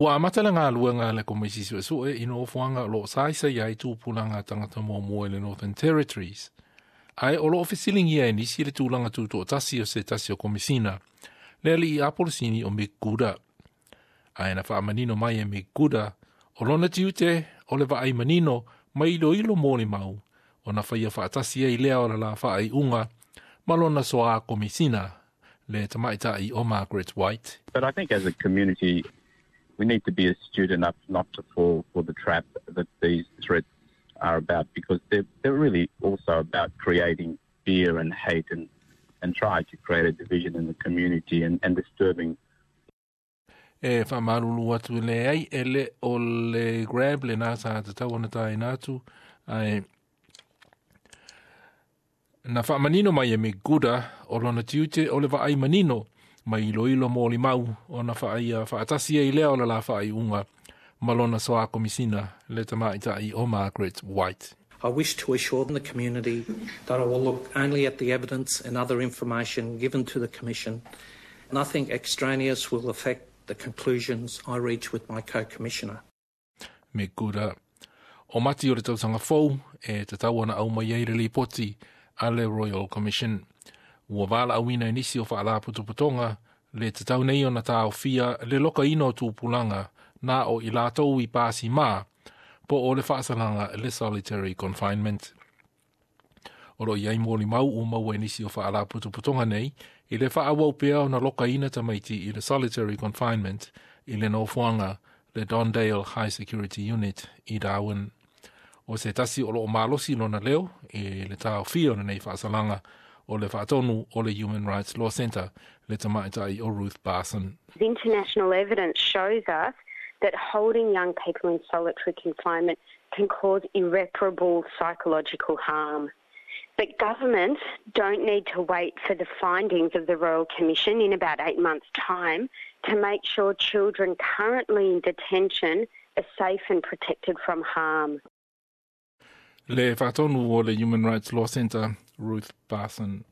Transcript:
Ua amata le galuega a le Komisi Suesue i nofoaga o lo o saisai ai tupulaga tagata muamua i le Northern Territories, ae o lo o fesiligia e nisi le tulaga tutoatasi o se tasi o Komisina, le alii Apolosini o Mick Gooda. Ae na faamanino mai e Mick Gooda, o lona tiute o le vaai manino ma iloilo molimau, ona faia faatasi ai lea o le la faaiuga ma lona soā Komisina, le tamaitai o Margaret White. But I think as a community, we need to be astute enough not to fall for the trap that these threats are about, because they're really also about creating fear and hate and trying to create a division in the community and disturbing. E faamalulu atu le ai e le o le Grab le nā sa tatau ona taina atu ae na faamanino mai e Mick Gooda o lona tiute o le vaai manino ma iloilo molimau ona faia faatasi ai lea o le la faaiuga ma lona soā Komisina le tamaitai o Margaret White. I wish to assure the community that I will look only at the evidence and other information given to the Commission. Nothing extraneous will affect the conclusions I reach with my co-commissioner. Mick Gooda. O Mati o le tausaga fou e tatau ona aumai ai le lipoti a le Royal Commission. Ua valaauina e nisi o faalapotopotoga le tatau nei ona taofia le lokaina o tupulaga na o i latou i pasi ma po o le faasalaga le solitary confinement. O lo o i ai molimau ua maua e nisi o faalapotopotoga nei i le faaauau pea ona lokaina tamaiti i le solitary confinement i le nofoaga le Don Dale High Security Unit i Darwin. O se tasi o lo o malosi lona leo i le taofia o lenei faasalaga o le faatonu o le Human Rights Law Centre, le tamaitai o Ruth Barson. The international evidence shows us that holding young people in solitary confinement can cause irreparable psychological harm. But governments don't need to wait for the findings of the Royal Commission in about 8 months' time to make sure children currently in detention are safe and protected from harm. Le faatonu o le Human Rights Law Centre, Ruth Barson.